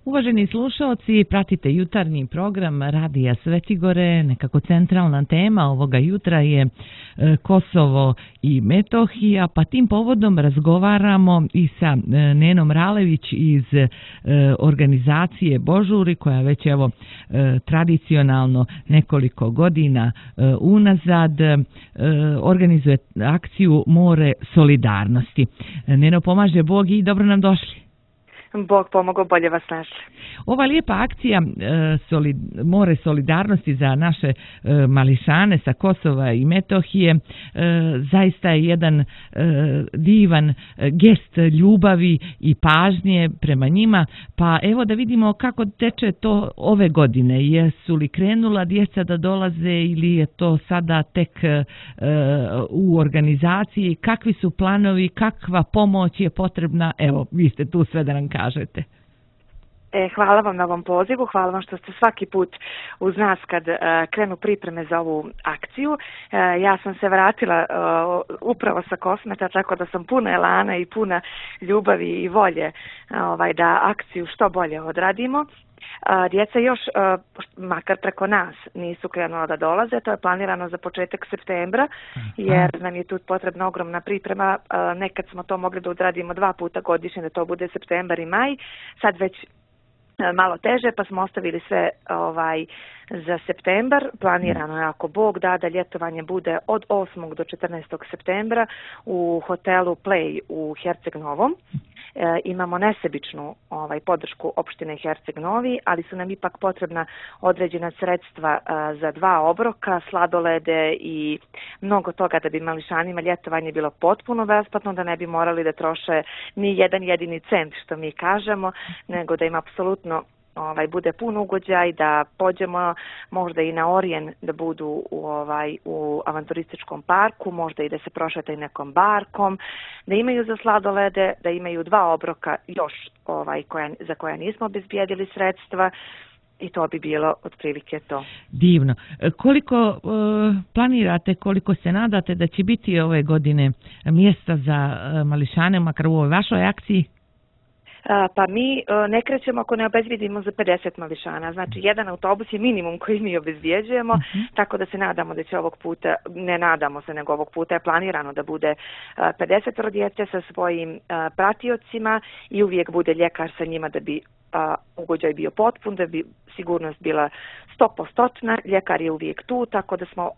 Uvaženi slušalci, pratite jutarnji program Radija Svetigore. Nekako centralna tema ovoga jutra je Kosovo i Metohija, pa tim povodom razgovaramo i sa Nenom Ralević iz organizacije Božuri, koja već evo tradicionalno nekoliko godina unazad organizuje akciju More solidarnosti. Neno, pomaže Bog i dobro nam došli. Bog pomogao, bolje vas našli. Ova lijepa akcija More solidarnosti za naše mališane sa Kosova i Metohije zaista je jedan divan gest ljubavi i pažnje prema njima. Pa evo da vidimo kako teče to ove godine. Jesu li krenula djeca da dolaze ili je to sada tek u organizaciji? Kakvi su planovi? Kakva pomoć je potrebna? Evo, vi ste tu sve da nam kažete. Hvala vam na ovom pozivu, hvala vam što ste svaki put uz nas kad krenu pripreme za ovu akciju. Ja sam se vratila upravo sa Kosmeta, tako da sam puna elana i puna ljubavi i volje da akciju što bolje odradimo. Djeca još, makar preko nas, nisu krenula da dolaze, to je planirano za početak septembra, jer nam je tu potrebna ogromna priprema. Nekad smo to mogli da odradimo 2 puta godišnje, da to bude septembar i maj, sad već malo teže, pa smo ostavili sve za septembar. Planirano je, ako Bog da ljetovanje bude od 8. do 14. septembra u hotelu Play u Herceg Novom. Imamo nesebičnu podršku opštine Herceg Novi, ali su nam ipak potrebna određena sredstva za 2 obroka, sladolede i mnogo toga da bi mališanima ljetovanje bilo potpuno besplatno, da ne bi morali da troše ni jedan jedini cent, što mi kažemo, nego da im apsolutno bude pun ugođaj, da pođemo možda i na Orijen, da budu u avanturističkom parku, možda i da se prošetaju nekom barkom, da imaju za sladolede, da imaju 2 obroka još za koja nismo obezbijedili sredstva. I to bi bilo otprilike to. Divno. Koliko planirate, koliko se nadate da će biti ove godine mjesta za mališane, makar u ovoj vašoj akciji? Pa mi ne krećemo ako ne obezbijedimo za 50 mališana. Znači, jedan autobus je minimum koji mi obezbijeđujemo, tako da se nadamo da će ovog puta, ne nadamo se, nego ovog puta je planirano da bude 50 djece sa svojim pratiocima i uvijek bude ljekar sa njima da bi ugođaj bio potpun, da bi sigurnost bila 100%. Ljekar je uvijek tu, tako da smo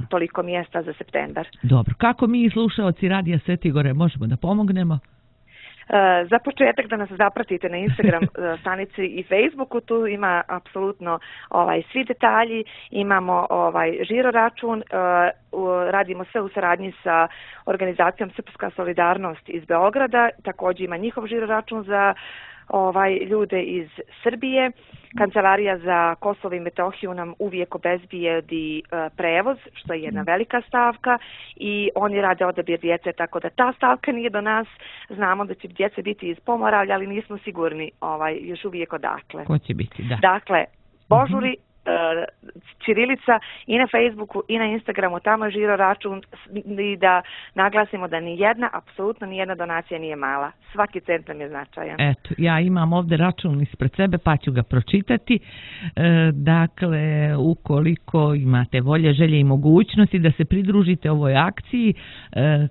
toliko mjesta za septembar. Dobro. Kako mi slušaoci Radija Svetigore možemo da pomognemo? Za početak da nas zapratite na Instagram stranici i Facebooku, tu ima apsolutno svi detalji, imamo žiro račun, radimo sve u saradnji sa organizacijom Srpska solidarnost iz Beograda, također ima njihov žiro račun za ljude iz Srbije. Kancelarija za Kosovo i Metohiju nam uvijek obezbijedi prevoz, što je jedna velika stavka, i oni rade odabir djece, tako da ta stavka nije do nas. Znamo da će djece biti iz Pomoravlja, ali nismo sigurni još uvijek odakle. Ko će biti, da. Dakle, Božuri, ćirilica i na Facebooku i na Instagramu, tamo je žiro račun, i da naglasimo da apsolutno nijedna donacija nije mala. Svaki cent nam je značajan. Eto, ja imam ovdje račun ispred sebe pa ću ga pročitati. Dakle, ukoliko imate volje, želje i mogućnosti da se pridružite ovoj akciji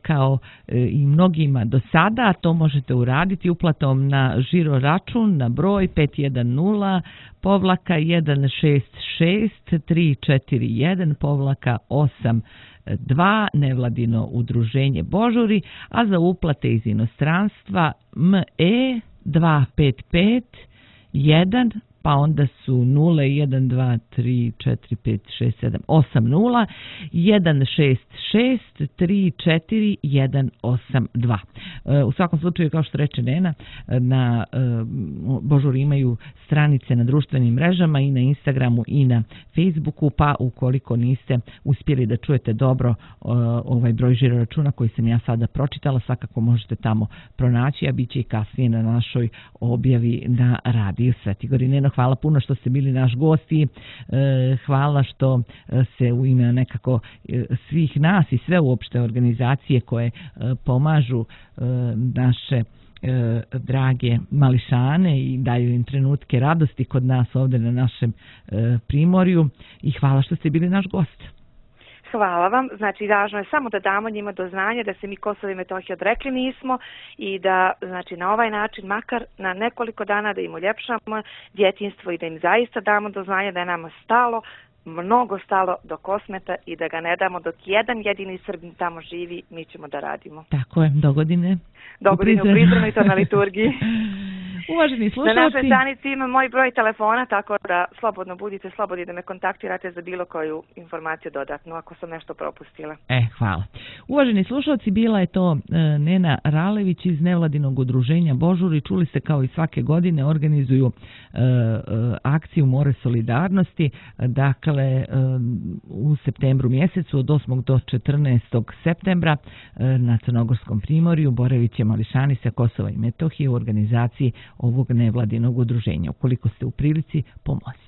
kao i mnogima do sada, to možete uraditi uplatom na žiro račun na broj 510-166-341-8 nevladino udruženje Božuri, a za uplate iz inostranstva ME 255 1, pa onda su 0 1 2 3 4 5 6 7 8 0 1 6 6 3 4 1 8 2. U svakom slučaju, kao što reče Nena, na Božuri imaju stranice na društvenim mrežama i na Instagramu i na Facebooku, pa ukoliko niste uspjeli da čujete dobro ovaj broj žiro računa koji sam ja sada pročitala, svakako možete tamo pronaći, a bit će i kasnije na našoj objavi na Radiju Svetigori. Neno, hvala puno što ste bili naš gosti, hvala što se u ime nekako svih nas i sve uopšte organizacije koje pomažu naše drage mališane i daju im trenutke radosti kod nas ovdje na našem primorju i hvala što ste bili naš gost. Hvala vam. Znači, važno je samo da damo njima do znanja da se mi Kosova i Metohije odrekli nismo i da, znači, na ovaj način, makar na nekoliko dana da im uljepšamo djetinjstvo i da im zaista damo do znanja da je nama stalo, mnogo stalo do Kosmeta i da ga ne damo dok jedan jedini Srbin tamo živi, mi ćemo da radimo. Tako je, dogodine. Dogodine u Prizrenu i to na liturgiji. Uvaženi slušalci. Na našoj stranici ima moj broj telefona, tako da slobodno budite slobodni da me kontaktirate za bilo koju informaciju dodatnu, ako sam nešto propustila. Hvala. Uvaženi slušalci, bila je to Nena Ralević iz nevladinog udruženja Božuri. Čuli ste kao i svake godine organizuju akciju More solidarnosti. Dakle, u septembru mjesecu od 8. do 14. septembra na Crnogorskom primorju boravit će mališani sa Kosova i Metohije u organizaciji ovog nevladinog udruženja. Ukoliko ste u prilici, pomozite.